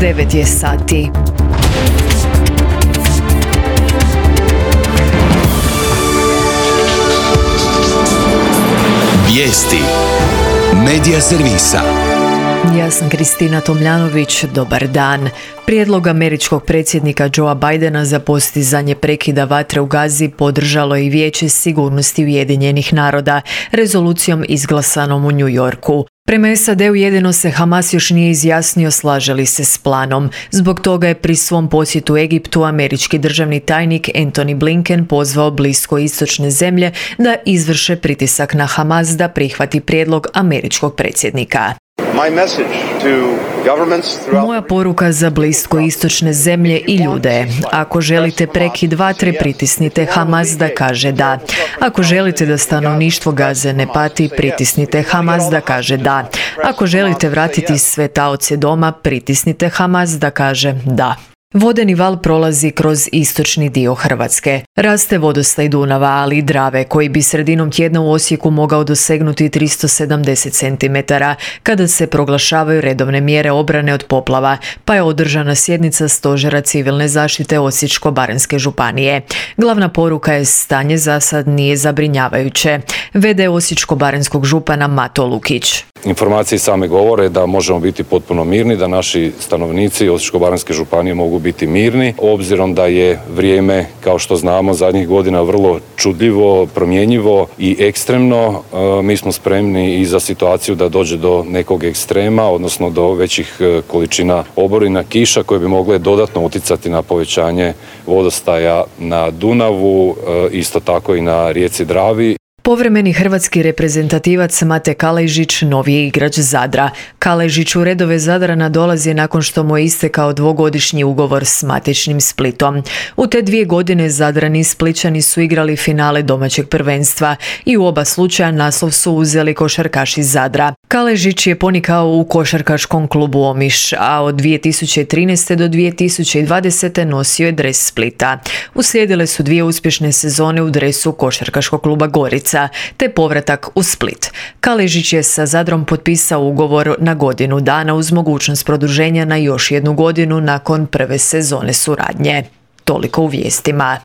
9 je sati. Vijesti Medija servisa. Ja sam Kristina Tomljanović, dobar dan. Prijedlog američkog predsjednika Joea Bidena za postizanje prekida vatre u Gazi podržalo je i Vijeće sigurnosti Ujedinjenih naroda rezolucijom izglasanom u New Yorku. Prema SAD-u jedino se Hamas još nije izjasnio slaže li se s planom. Zbog toga je pri svom posjetu Egiptu američki državni tajnik Antony Blinken pozvao bliskoistočne zemlje da izvrše pritisak na Hamas da prihvati prijedlog američkog predsjednika. Moja poruka za bliskoistočne zemlje i ljude. Ako želite prekid vatre, pritisnite Hamas da kaže da. Ako želite da stanovništvo Gaze ne pati, pritisnite Hamas da kaže da. Ako želite vratiti sve taoce doma, pritisnite Hamas da kaže da. Vodeni val prolazi kroz istočni dio Hrvatske. Raste vodostaj Dunava, ali i Drave, koji bi sredinom tjedna u Osijeku mogao dosegnuti 370 cm, kada se proglašavaju redovne mjere obrane od poplava, pa je održana sjednica Stožera civilne zaštite Osječko-baranjske županije. Glavna poruka je stanje za sad nije zabrinjavajuće. V.d. Osječko-baranjskog župana Mato Lukić. Informacije same govore da možemo biti potpuno mirni, da naši stanovnici Osječko-baranjske županije mogu biti mirni, obzirom da je vrijeme, kao što znamo, zadnjih godina vrlo čudljivo, promjenjivo i ekstremno. Mi smo spremni i za situaciju da dođe do nekog ekstrema, odnosno do većih količina oborina, kiša koje bi mogle dodatno utjecati na povećanje vodostaja na Dunavu, isto tako i na rijeci Dravi. Povremeni hrvatski reprezentativac Mate Kaležić novi je igrač Zadra. Kaležić u redove Zadrana dolazi nakon što mu je istekao dvogodišnji ugovor s matičnim Splitom. U te 2 godine Zadrani i Splićani su igrali finale domaćeg prvenstva i u oba slučaja naslov su uzeli košarkaši Zadra. Kaležić je ponikao u košarkaškom klubu Omiš, a od 2013. do 2020. nosio je dres Splita. Uslijedile su 2 uspješne sezone u dresu košarkaškog kluba Gorica, te povratak u Split. Kaležić je sa Zadrom potpisao ugovor na godinu dana uz mogućnost produženja na još 1 godinu nakon prve sezone suradnje. Toliko u vijestima.